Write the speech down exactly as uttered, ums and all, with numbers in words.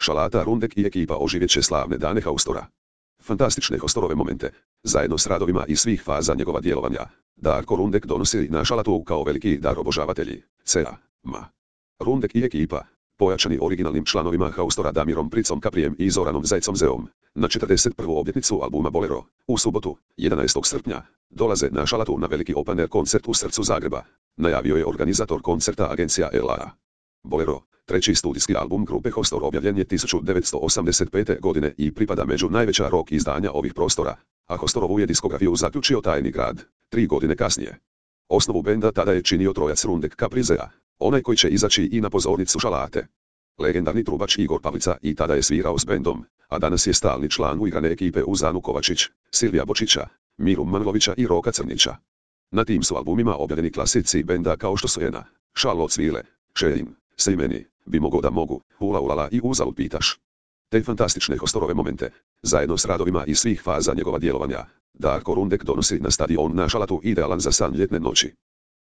Šalata Rundek i ekipa oživjet će slavne dane Haustora. Fantastične Haustorove momente, zajedno s radovima iz svih faza njegova djelovanja, Darko Rundek donosi na Šalatu kao veliki dar obožavatelji, C A, M A. Rundek i ekipa, pojačani originalnim članovima Haustora Damirom Pricom Kaprijem i Zoranom Zajcom Zeom, na četrdeset prvu obljetnicu albuma Bolero, u subotu, jedanaestog srpnja, dolaze na Šalatu na veliki open air koncert u srcu Zagreba, najavio je organizator koncerta agencija L A. Bolero, treći studijski album grupe Haustor, objavljen je tisuću devetsto osamdeset pete. godine i pripada među najveća rock izdanja ovih prostora, a Haustorovu je diskografiju zaključio Tajni grad, tri godine kasnije. Osnovu benda tada je činio trojac Rundek Kaprizea, onaj koji će izaći i na pozornicu Šalate. Legendarni trubač Igor Pavlica i tada je svirao s bendom, a danas je stalni član uigrane ekipe Uzanu Kovačić, Silvija Bočića, Miru Manlovića i Roka Crnića. Na tim su albumima objavljeni klasici benda kao što su Jena, Šalo cvile, Šejim, Se i meni, Bi mogo da mogu, Ula ulala i Uzalud pitaš. Te fantastične Haustorove momente, zajedno s radovima iz svih faza njegova djelovanja, Darko Rundek donosi na stadion na Šalatu idealan za san ljetne noći.